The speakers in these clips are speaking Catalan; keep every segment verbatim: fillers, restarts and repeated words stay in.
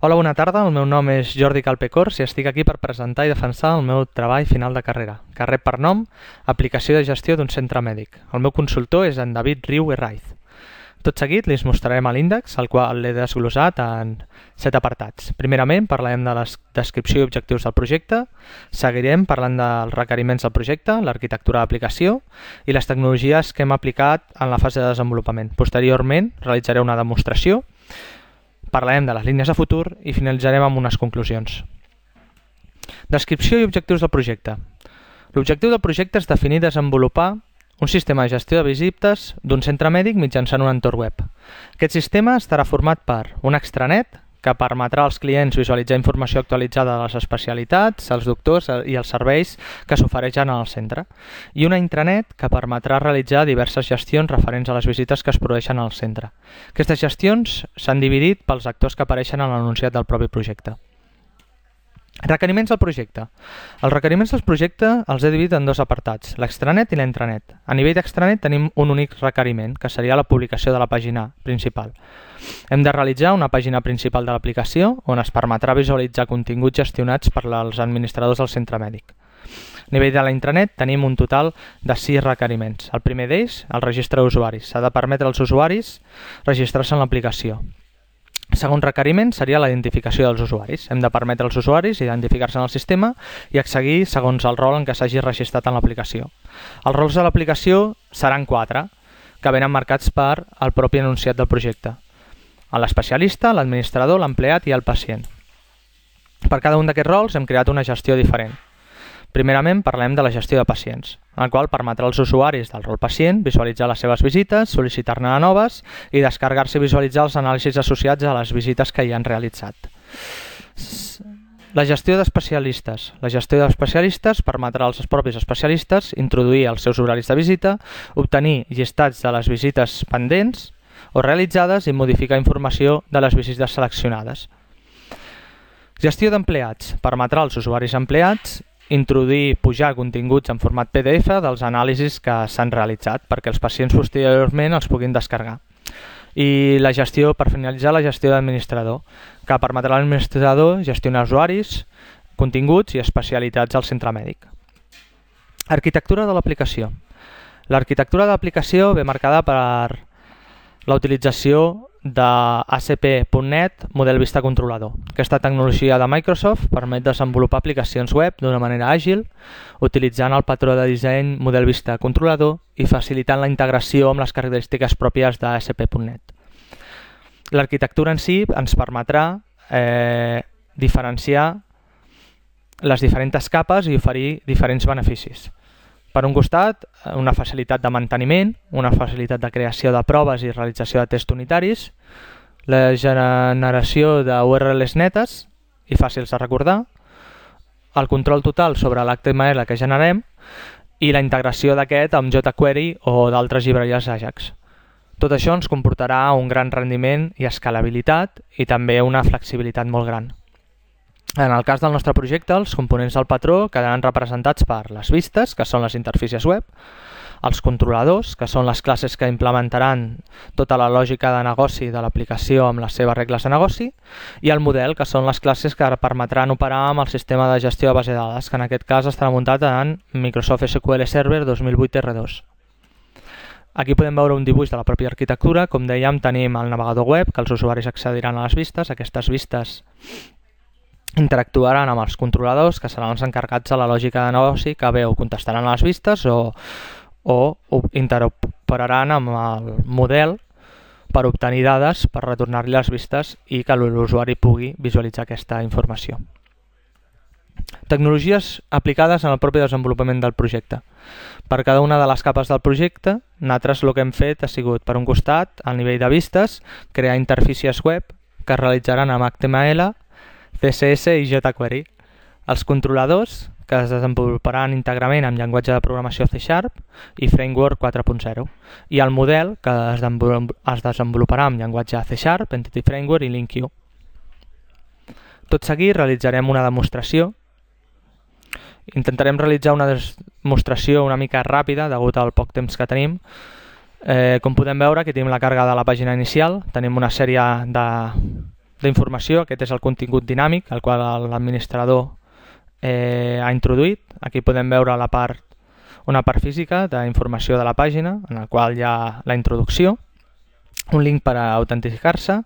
Hola, bona tarda. El meu nom és Jordi Calpecors i estic aquí per presentar i defensar el meu treball final de carrera, que rep per nom Aplicació de gestió d'un centre mèdic. El meu consultor és en David Riu Herraiz. Tot seguit li mostrarem l'índex, el qual l'he desglossat en set apartats. Primerament parlarem de la descripció i objectius del projecte, seguirem parlant dels requeriments del projecte, l'arquitectura d'aplicació i les tecnologies que hem aplicat en la fase de desenvolupament. Posteriorment realitzaré una demostració, parlarem de les línies de futur i finalitzarem amb unes conclusions. Descripció i objectius del projecte. L'objectiu del projecte és definir i desenvolupar un sistema de gestió de visites d'un centre mèdic mitjançant un entorn web. Aquest sistema estarà format per un extranet que permetrà als clients visualitzar informació actualitzada de les especialitats, els doctors i els serveis que s'ofereixen al centre, i una intranet que permetrà realitzar diverses gestions referents a les visites que es produeixen al centre. Aquestes gestions s'han dividit pels actors que apareixen en l'anunciat del propi projecte. Requeriments del projecte. Els requeriments del projecte els he dividit en dos apartats, l'extranet i la intranet. A nivell d'extranet tenim un únic requeriment, que seria la publicació de la pàgina principal. Hem de realitzar una pàgina principal de l'aplicació on es permetrà visualitzar continguts gestionats per als administradors del centre mèdic. A nivell de la intranet tenim un total de sis requeriments. El primer d'ells, el registre d'usuaris. S'ha de permetre als usuaris registrar-se en l'aplicació. El segon requeriment seria la identificació dels usuaris. Hem de permetre als usuaris identificar-se en el sistema i accedir segons el rol en què s'hagi registrat en l'aplicació. Els rols de l'aplicació seran quatre, que venen marcats per el propi enunciat del projecte. L'especialista, l'administrador, l'empleat i el pacient. Per cada un d'aquests rols hem creat una gestió diferent. Primerament parlem de la gestió de pacients, el qual permetrà als usuaris del rol pacient visualitzar les seves visites, sol·licitar-ne noves i descarregar-se i visualitzar els anàlisis associats a les visites que hi han realitzat. La gestió d'especialistes. La gestió d'especialistes permetrà als propis especialistes introduir els seus horaris de visita, obtenir llistats de les visites pendents o realitzades i modificar informació de les visites seleccionades. Gestió d'empleats. Permetrà als usuaris empleats introduir, pujar continguts en format P D F dels anàlisis que s'han realitzat perquè els pacients posteriorment els puguin descarregar. I la gestió, per finalitzar, la gestió d'administrador, que permetrà a l'administrador gestionar usuaris, continguts i especialitats al centre mèdic. Arquitectura de l'aplicació. L'arquitectura de l'aplicació ve marcada per la utilització de A S P punt net Model Vista Controlador. Aquesta tecnologia de Microsoft permet desenvolupar aplicacions web d'una manera àgil, utilitzant el patró de disseny Model Vista Controlador i facilitant la integració amb les característiques pròpies de A S P punt net. L'arquitectura en si ens permetrà eh, diferenciar les diferents capes i oferir diferents beneficis. Per un costat, una facilitat de manteniment, una facilitat de creació de proves i realització de tests unitaris, la generació d'U R Ls netes i fàcils de recordar, el control total sobre l'H T M L que generem i la integració d'aquest amb jQuery o d'altres llibreries Ajax. Tot això ens comportarà un gran rendiment i escalabilitat i també una flexibilitat molt gran. En el cas del nostre projecte, els components del patró quedaran representats per les vistes, que són les interfícies web, els controladors, que són les classes que implementaran tota la lògica de negoci de l'aplicació amb les seves regles de negoci, i el model, que són les classes que permetran operar amb el sistema de gestió de base de dades, que en aquest cas estarà muntat en Microsoft S Q L Server dos mil vuit R dos. Aquí podem veure un dibuix de la pròpia arquitectura. Com dèiem, tenim el navegador web, que els usuaris accediran a les vistes. Aquestes vistes interactuaran amb els controladors, que seran els encarregats de la lògica de negoci, que bé o contestaran a les vistes o, o interoperaran amb el model per obtenir dades, per retornar-li les vistes i que l'usuari pugui visualitzar aquesta informació. Tecnologies aplicades en el propi desenvolupament del projecte. Per cada una de les capes del projecte, nosaltres el que hem fet ha sigut, per un costat, al nivell de vistes, crear interfícies web que es realitzaran amb H T M L, C S S i jQuery. Els controladors, que es desenvoluparan íntegrament amb llenguatge de programació C Sharp i Framework quatre punt zero. I el model, que es desenvoluparà amb llenguatge C Sharp, Entity Framework i LinkU. Tot seguit realitzarem una demostració. Intentarem realitzar una demostració una mica ràpida, degut al poc temps que tenim. Eh, com podem veure, aquí tenim la càrrega de la pàgina inicial. Tenim una sèrie de d'informació. Aquest és el contingut dinàmic, el qual l'administrador eh, ha introduït. Aquí podem veure la part, una part física d'informació de la pàgina, en la qual hi ha la introducció, un link per a autentificar-se,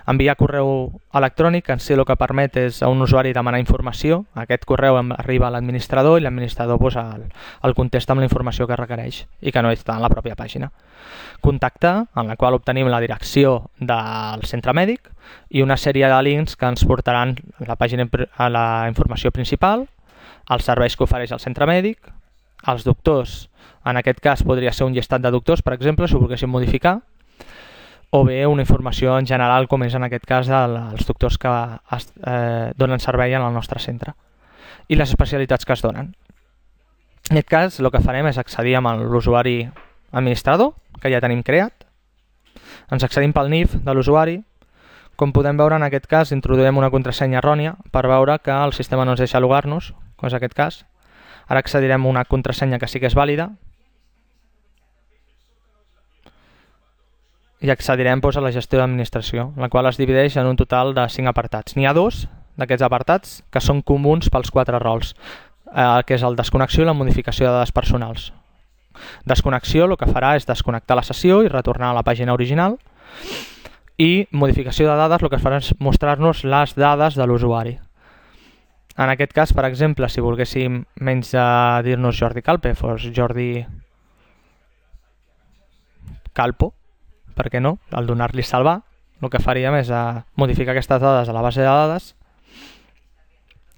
enviar correu electrònic, que en si el que permet és a un usuari demanar informació. Aquest correu arriba a l'administrador i l'administrador pues, el, el contesta amb la informació que requereix i que no està en la pròpia pàgina. Contactar, en la qual obtenim la direcció del centre mèdic i una sèrie de links que ens portaran a la, pàgina, a la informació principal, els serveis que ofereix el centre mèdic, els doctors, en aquest cas podria ser un llistat de doctors, per exemple, si ho volguéssim modificar, o bé una informació en general, com és en aquest cas els doctors que es, eh, donen servei en el nostre centre i les especialitats que es donen. En aquest cas el que farem és accedir amb l'usuari administrador, que ja tenim creat. Ens accedim pel N I F de l'usuari. Com podem veure, en aquest cas introduïm una contrasenya errònia per veure que el sistema no ens deixa logar-nos, com és aquest cas. Ara accedirem a una contrasenya que sí que és vàlida i accedirem doncs, a la gestió d'administració, la qual es divideix en un total de cinc apartats. N'hi ha dos d'aquests apartats que són comuns pels quatre rols, eh, que és el desconnexió i la modificació de dades personals. Desconnexió el que farà és desconnectar la sessió i retornar a la pàgina original, i modificació de dades el que farà és mostrar-nos les dades de l'usuari. En aquest cas, per exemple, si volguéssim menys de dir-nos Jordi Calpe, fos Jordi Calpo, per què no? Al donar-li salvar, el que faríem és a modificar aquestes dades a la base de dades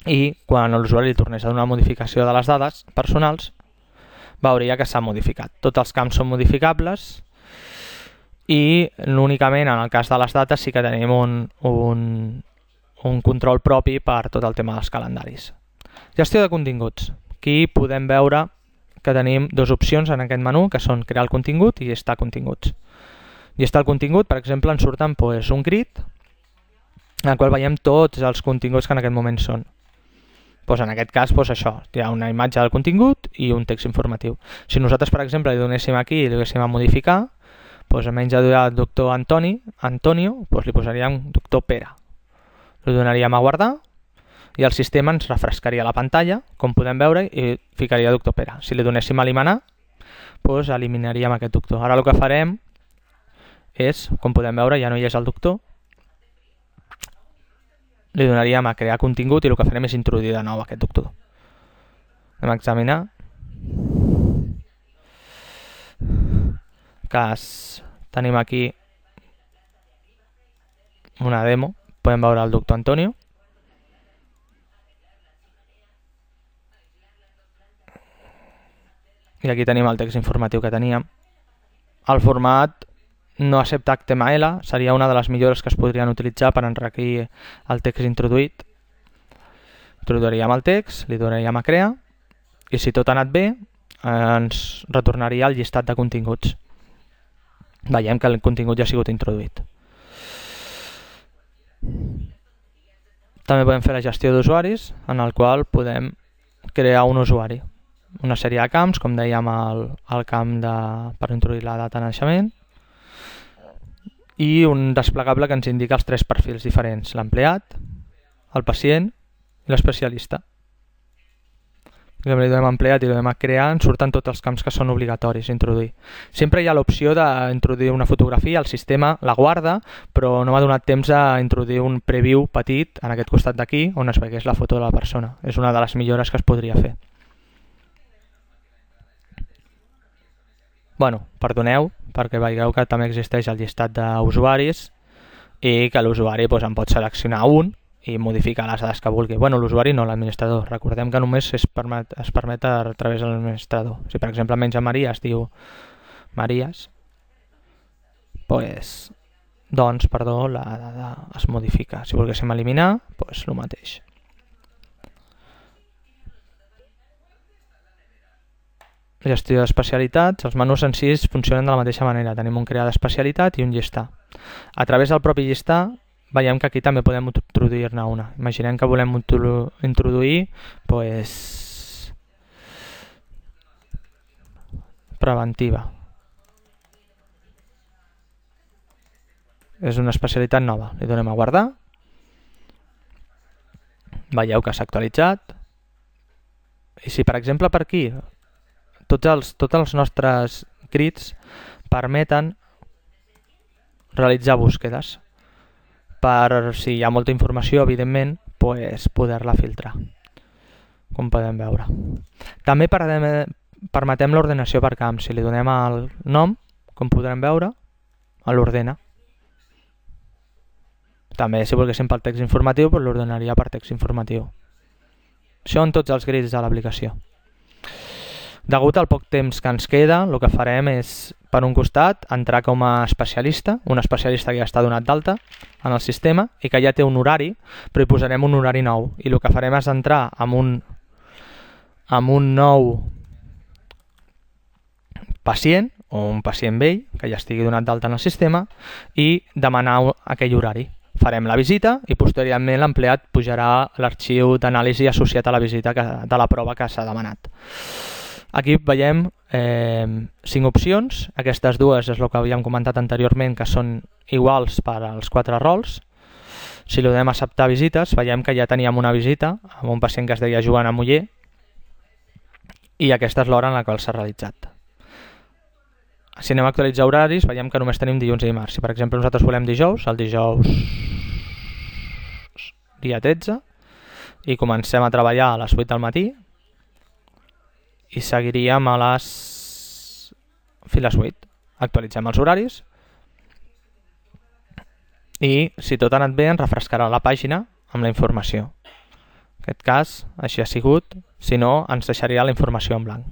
i quan l'usuari li tornés a donar modificació de les dades personals, veuria que s'ha modificat. Tots els camps són modificables i únicament en el cas de les dates sí que tenim un, un, un control propi per tot el tema dels calendaris. Gestió de continguts. Aquí podem veure que tenim dues opcions en aquest menú, que són crear el contingut i llistar continguts. Llistar el contingut, per exemple, ens surten doncs, un grid en el qual veiem tots els continguts que en aquest moment són. Doncs en aquest cas, doncs això, hi ha una imatge del contingut i un text informatiu. Si nosaltres, per exemple, li donéssim aquí i li donéssim a modificar, doncs en menys de doctor Antoni, Antonio, doncs li posaríem doctor Pere. Li donaríem a guardar i el sistema ens refrescaria la pantalla, com podem veure, i ficaria doctor Pere. Si li donéssim a eliminar, doncs eliminaríem aquest doctor. Ara el que farem és, com podem veure, ja no hi és el doctor, li donaríem a crear contingut i el que farem és introduir de nou aquest doctor. Anem a examinar. Cas, tenim aquí una demo, podem veure el doctor Antonio. I aquí tenim el text informatiu que teníem. El format no accepta H T M L, seria una de les millores que es podrien utilitzar per enriquir el text introduït. Introduiríem el text, li donaríem a crear i si tot ha anat bé ens retornaria el llistat de continguts. Veiem que el contingut ja ha sigut introduït. També podem fer la gestió d'usuaris, en el qual podem crear un usuari. Una sèrie de camps, com dèiem el, el camp de, per introduir la data de naixement, i un desplegable que ens indica els tres perfils diferents, l'empleat, el pacient i l'especialista. Si li donem a empleat i li donem a crear, ens surten tots els camps que són obligatoris introduir. Sempre hi ha l'opció d'introduir una fotografia, el sistema la guarda, però no m'ha donat temps a introduir un preview petit en aquest costat d'aquí on es veiés la foto de la persona. És una de les millores que es podria fer. Bueno, perdoneu, perquè veieu que també existeix el llistat d'usuaris i que l'usuari doncs, en pot seleccionar un i modificar les dades que vulgui. Bueno, l'usuari no, l'administrador. Recordem que només es permet, es permet a través de l'administrador. Si per exemple menys a Maria es diu Maries, pues, doncs perdó, la dada es modifica. Si volguéssim eliminar, doncs el mateix. Gestió d'especialitats, els menús en si funcionen de la mateixa manera. Tenim un crear d'especialitat i un llistar. A través del propi llistar veiem que aquí també podem introduir-ne una. Imaginem que volem introduir pues, preventiva. És una especialitat nova. Li donem a guardar Veieu que s'ha actualitzat. I si, per exemple, per aquí, tots els, tots els nostres crits permeten realitzar búsquedes per, si hi ha molta informació, evidentment, pues, poder-la filtrar, com podem veure. També permetem l'ordenació per camp. Si li donem el nom, com podrem veure, l'ordena. També, si volguéssim pel text informatiu, pues l'ordenaria per text informatiu. Això en tots els grids de l'aplicació. Degut al poc temps que ens queda, el que farem és, per un costat, entrar com a especialista, un especialista que ja està donat d'alta en el sistema i que ja té un horari, però hi posarem un horari nou. I el que farem és entrar amb un, amb un nou pacient, o un pacient vell, que ja estigui donat d'alta en el sistema, i demanar aquell horari. Farem la visita i posteriorment l'empleat pujarà l'arxiu d'anàlisi associat a la visita que, de la prova que s'ha demanat. Aquí veiem eh, cinc opcions. Aquestes dues és el que havíem comentat anteriorment, que són iguals per als quatre rols. Si li donem a acceptar visites, veiem que ja teníem una visita amb un pacient que es deia Joan Amuller i aquesta és l'hora en la qual s'ha realitzat. Si anem a actualitzar horaris, veiem que només tenim dilluns i dimarts. Si per exemple nosaltres volem dijous, el dijous dia tretze, i comencem a treballar a les vuit del matí i seguiríem a les fins a les vuit. Actualitzem els horaris i si tot ha anat bé ens refrescarà la pàgina amb la informació. En aquest cas així ha sigut, si no ens deixaria la informació en blanc.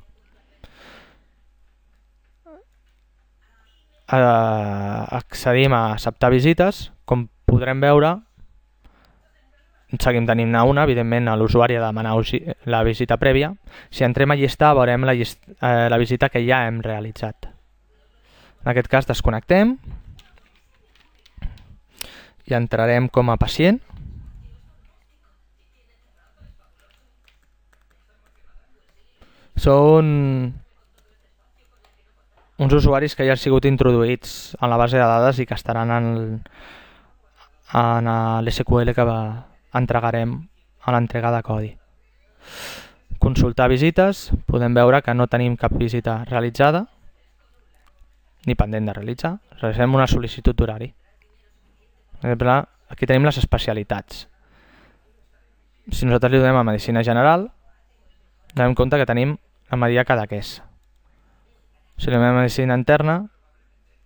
Uh, accedim a acceptar visites. Com podrem veure, seguim tenint una, evidentment l'usuari ha de demanar la visita prèvia. Si entrem a llistar veurem la, llist eh, la visita que ja hem realitzat. En aquest cas desconnectem i entrarem com a pacient. Són uns usuaris que ja han sigut introduïts en la base de dades i que estaran en, en l'S Q L que va, entregarem a l'entrega de codi. Consultar visites, podem veure que no tenim cap visita realitzada ni pendent de realitzar. Realitzem una sol·licitud d'horari. Aquí tenim les especialitats. Si nosaltres li donem a Medicina General, donem compte que tenim la Maria Cadaqués. Si li donem a Medicina Interna,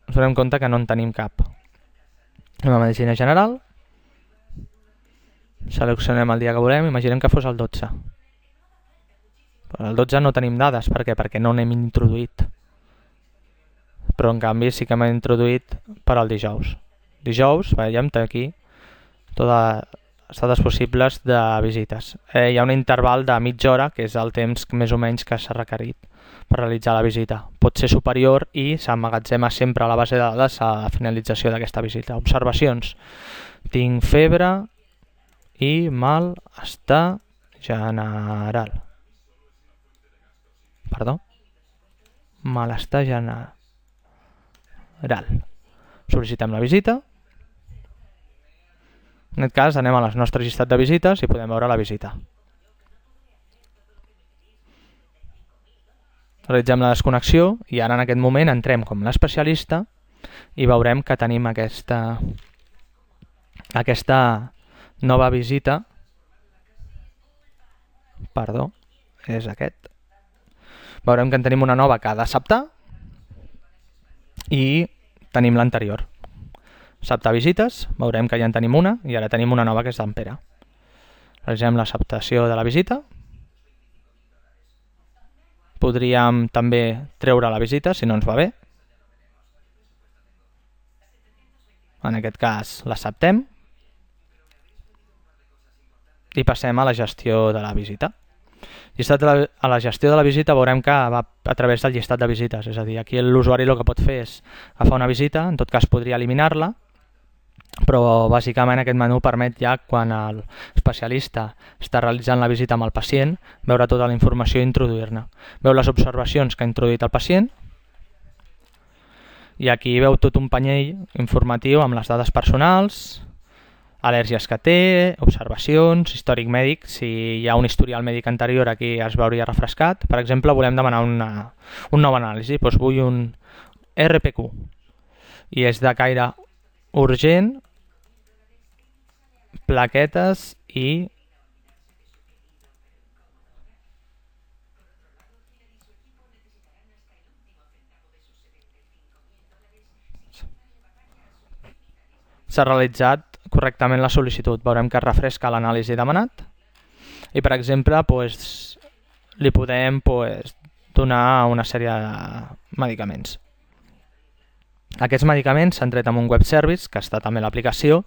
ens donem compte que no en tenim cap. Anem a Medicina General, seleccionem el dia que volem, imaginem que fos el dotze. Però el dotze no tenim dades, per què? Perquè no n'hem introduït. Però en canvi sí que hem introduït per al dijous. Dijous, veiem aquí totes les dades possibles de visites. Eh, hi ha un interval de mitja hora, que és el temps més o menys que s'ha requerit per realitzar la visita. Pot ser superior i s'emmagatzema sempre a la base de dades a la finalització d'aquesta visita. Observacions. Tinc febre i malestar general. Perdó? Malestar general. Sol·licitem la visita. En aquest cas anem a les nostres llistat de visites i podem veure la visita. Realitzem la desconnexió i ara en aquest moment entrem com l'especialista i veurem que tenim aquesta, aquesta nova visita. Perdó, és aquest. Veurem que en tenim una nova que ha d'acceptar i tenim l'anterior. Acceptar visites, veurem que ja en tenim una i ara tenim una nova que és d'en Pere. Realitzem l'acceptació de la visita. Podríem també treure la visita si no ens va bé. En aquest cas l'acceptem i passem a la gestió de la visita. A la gestió de la visita veurem que va a través del llistat de visites, és a dir, aquí l'usuari el que pot fer és agafar una visita, en tot cas podria eliminar-la, però bàsicament aquest menú permet ja quan l'especialista està realitzant la visita amb el pacient veure tota la informació i introduir-ne. Veu les observacions que ha introduït el pacient i aquí veu tot un panyell informatiu amb les dades personals, al·lèrgies que té, observacions, històric mèdic, si hi ha un historial mèdic anterior aquí es veuria refrescat. Per exemple, volem demanar una, un nou anàlisi, doncs vull un R P Q i és de caire urgent, plaquetes i s'ha realitzat correctament la sol·licitud. Veurem que es refresca l'anàlisi demanat i, per exemple, doncs, li podem doncs, donar una sèrie de medicaments. Aquests medicaments s'han tret amb un web service, que està també a l'aplicació,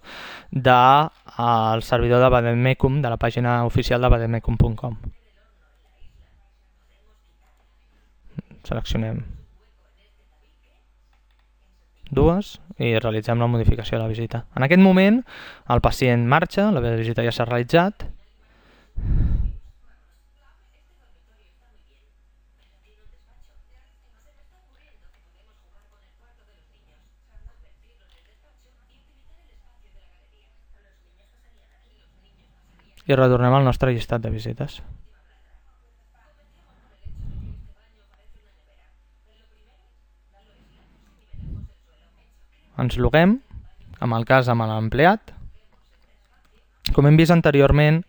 del servidor de Bademecum, de la pàgina oficial de bademecum punt com. Seleccionem dues i realitzem la modificació de la visita. En aquest moment el pacient marxa, la visita ja s'ha realitzat. I retornem al nostre llistat de visites. Ens loguem, amb el cas amb l'empleat. Com hem vist anteriorment,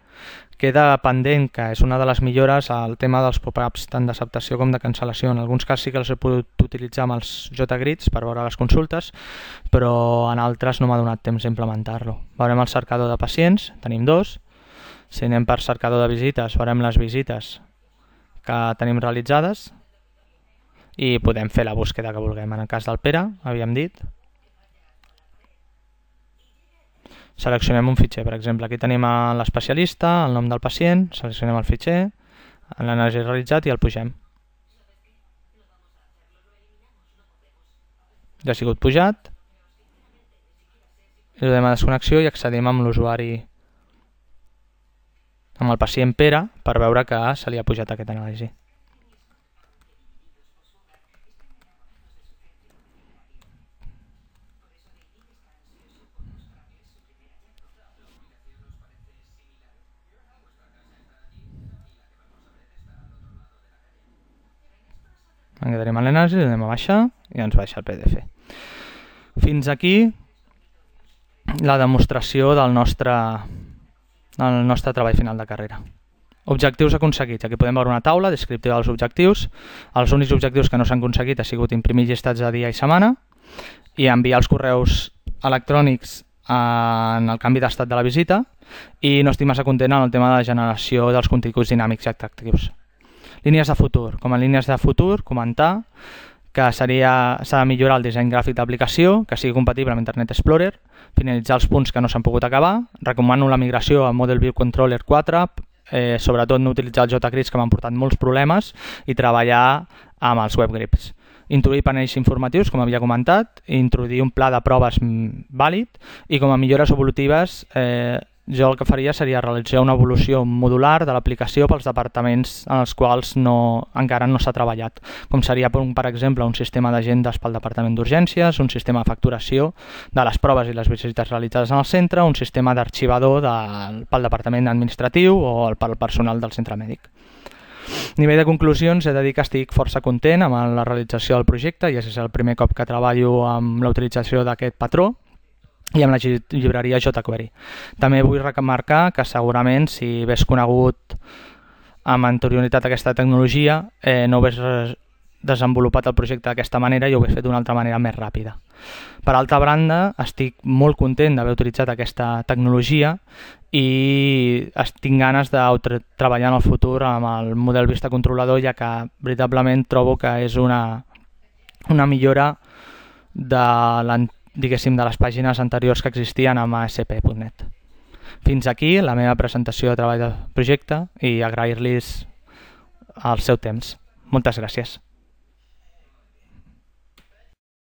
queda pendent, que és una de les millores, el tema dels pop-ups tant d'acceptació com de cancel·lació. En alguns casos sí que els he pogut utilitzar amb els J-Grids per veure les consultes, però en altres no m'ha donat temps d'implementar-lo. Veurem el cercador de pacients, tenim dos. Si anem per cercador de visites, veurem les visites que tenim realitzades i podem fer la búsqueda que vulguem. En el cas del Pere, havíem dit. Seleccionem un fitxer, per exemple, aquí tenim l'especialista, el nom del pacient, seleccionem el fitxer, l'anàlisi realitzat i el pugem. Ja ha sigut pujat, i donem a desconnexió i accedim amb l'usuari, amb el pacient Pere, per veure que se li ha pujat aquest anàlisi. En quedarem a l'anàlisi, anem a baixar i ens baixa el P D F. Fins aquí la demostració del nostre, del nostre treball final de carrera. Objectius aconseguits. Aquí podem veure una taula descriptiva dels objectius. Els únics objectius que no s'han aconseguit ha sigut imprimir llistats de dia i setmana i enviar els correus electrònics en el canvi d'estat de la visita, i no estic massa content en el tema de la generació dels continguts dinàmics i atractius. Línies de futur. Com a línies de futur, comentar que s'ha de millorar el disseny gràfic d'aplicació, que sigui compatible amb Internet Explorer, finalitzar els punts que no s'han pogut acabar, recomano la migració a Model View Controller quatre, eh, sobretot no utilitzar els J-Grids que m'han portat molts problemes, i treballar amb els WebGrids. Introduir panells informatius, com havia comentat, introduir un pla de proves vàlid, i com a millores evolutives, eh, jo el que faria seria realitzar una evolució modular de l'aplicació pels departaments en els quals no, encara no s'ha treballat, com seria, per exemple, un sistema d'agendes pel departament d'urgències, un sistema de facturació de les proves i les visites realitzades en el centre, un sistema d'arxivador de, pel departament administratiu o pel personal del centre mèdic. A nivell de conclusions, he de dir que estic força content amb la realització del projecte, i és el primer cop que treballo amb la utilització d'aquest patró i amb la llibreria jQuery. També vull remarcar que segurament si hagués conegut amb anterioritat aquesta tecnologia eh, no hagués desenvolupat el projecte d'aquesta manera i ho hagués fet d'una altra manera més ràpida. Per altra banda, estic molt content d'haver utilitzat aquesta tecnologia i tinc ganes de treballar en el futur amb el model vista controlador, ja que veritablement trobo que és una, una millora de l'antic diguéssim, de les pàgines anteriors que existien amb A S P punt net. Fins aquí la meva presentació de treball de projecte i agrair-los el seu temps. Moltes gràcies.